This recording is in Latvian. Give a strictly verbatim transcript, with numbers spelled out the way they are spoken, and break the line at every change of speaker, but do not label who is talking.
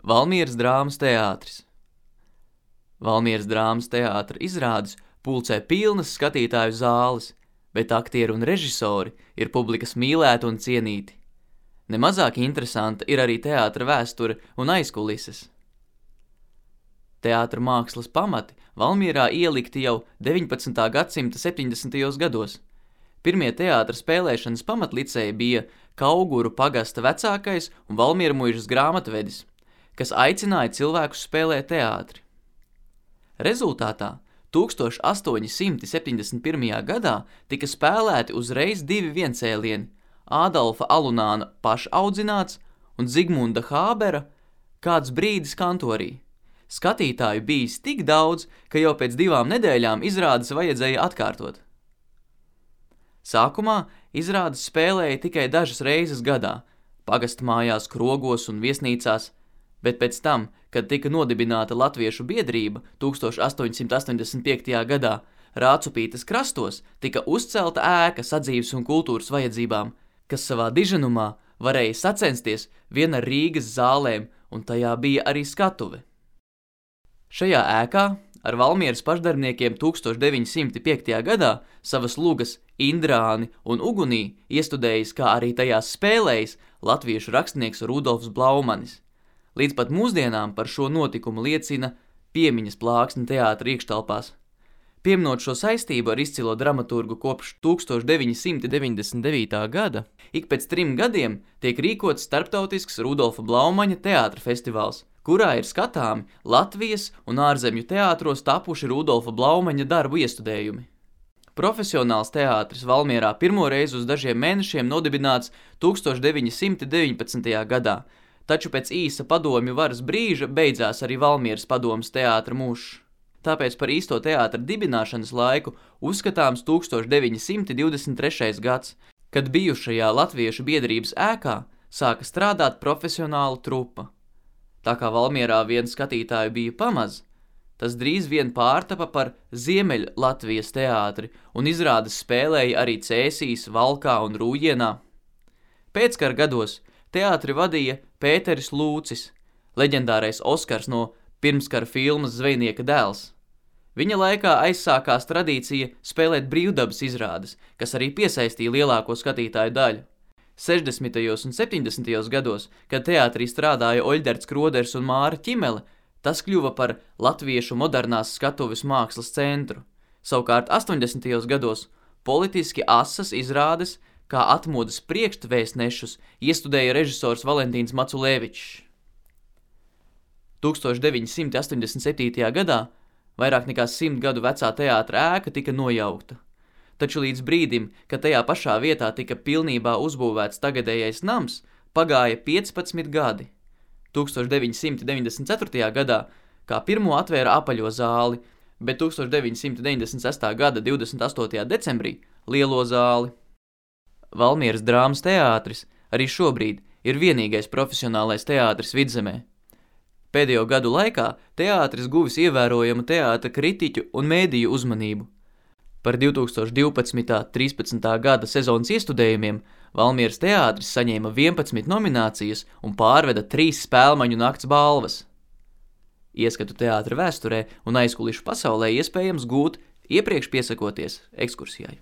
Valmieras drāmas teātris. Valmieras drāmas teātra izrādes pulcē pilnas skatītāju zāles, bet aktieri un režisori ir publikas mīlēti un cienīti. Nemazāk interesanta ir arī teātra vēsture un aizkulises. Teātra mākslas pamati Valmierā ielikti jau deviņpadsmitā gadsimta septiņdesmitajos gados. Pirmie teātra spēlēšanas pamatliceji bija Kauguru pagasta vecākais un Valmiermuižas grāmatvedis, kas aicināja cilvēkus spēlēt teātri. Rezultātā tūkstoš astoņi simti septiņdesmit pirmajā gadā tika spēlēti uzreiz divi viencēlieni – Ādolfa Alunāna pašaudzināts un Zigmunda Hābera Kāds brīdis kantorī. Skatītāju bijis tik daudz, ka jau pēc divām nedēļām izrādes vajadzēja atkārtot. Sākumā izrādes spēlēja tikai dažas reizes gadā, pagasta mājās, krogos un viesnīcās, bet pēc tam, kad tika nodibināta Latviešu biedrība tūkstoš astoņsimt astoņdesmit piektajā gadā, Rācupītes krastos tika uzcelta ēka sadzīves un kultūras vajadzībām, kas savā diženumā varēja sacensties vien ar Rīgas zālēm, un tajā bija arī skatuve. Šajā ēkā ar Valmieras pašdarbniekiem tūkstoš deviņi simti piektajā gadā savas lugas Indrāni un Ugunī iestudējis, kā arī tajās spēlējis latviešu rakstnieks Rudolfs Blaumanis. Līdz pat mūsdienām par šo notikumu liecina piemiņas plāksne teātra iekštelpās. Pieminot šo saistību ar izcilo dramaturgu kopš tūkstoš deviņi simti deviņdesmit devītā gada, ik pēc trim gadiem tiek rīkots starptautisks Rudolfa Blaumaņa teātra festivāls, kurā ir skatāmi Latvijas un ārzemju teātros tapuši Rudolfa Blaumaņa darbu iestudējumi. Profesionāls teātris Valmierā pirmo reizi uz dažiem mēnešiem nodibināts tūkstoš deviņi simti deviņpadsmitajā gadā, taču pēc īsa padomju varas brīža beidzās arī Valmieras padomes teātra mūžs. Tāpēc par īsto teātra dibināšanas laiku uzskatāms tūkstoš deviņi simti divdesmit trešais gads, kad bijušajā Latviešu biedrības ēkā sāka strādāt profesionāla trupa. Tā kā Valmierā vien skatītāju bija pamaz, tas drīz vien pārtapa par Ziemeļ Latvijas teātri un izrādes spēlēja arī Cēsīs, Valkā un Rūjienā. Pēckara gados teātri vadīja Pēteris Lūcis, leģendārais Oskars no pirmskara filmas Zvejnieka dēls. Viņa laikā aizsākās tradīcija spēlēt brīvdabas izrādes, kas arī piesaistīja lielāko skatītāju daļu. sešdesmitajos un septiņdesmitajos gados, kad teātrī strādāja Oļderts Kroders un Māra Ķimele, tas kļuva par latviešu modernās skatuves mākslas centru. Savukārt astoņdesmitajos gados politiski asas izrādes, kā atmodas priekšvēstnešus, iestudēja režisors Valentīns Maculēvičs. tūkstoš deviņi simti astoņdesmit septītajā gadā vairāk nekā simt gadu vecā teātra ēka tika nojaukta. Taču līdz brīdim, kad tajā pašā vietā tika pilnībā uzbūvēts tagadējais nams, pagāja piecpadsmit gadi. tūkstoš deviņi simti deviņdesmit ceturtajā gadā kā pirmo atvēra apaļo zāli, bet tūkstoš deviņi simti deviņdesmit sestā gada divdesmit astotajā decembrī lielo zāli. Valmieras drāmas teātris arī šobrīd ir vienīgais profesionālais teātris Vidzemē. Pēdējo gadu laikā teātris guvis ievērojamu teātra kritiķu un mēdīju uzmanību. Par divtūkstoš divpadsmitā - trīspadsmitā gada sezonas iestudējumiem Valmieras teātris saņēma vienpadsmit nominācijas un pārveda trīs spēlmaņu nakts balvas. Ieskatu teātra vēsturē un aizkulišu pasaulē iespējams gūt iepriekš piesakoties ekskursijai.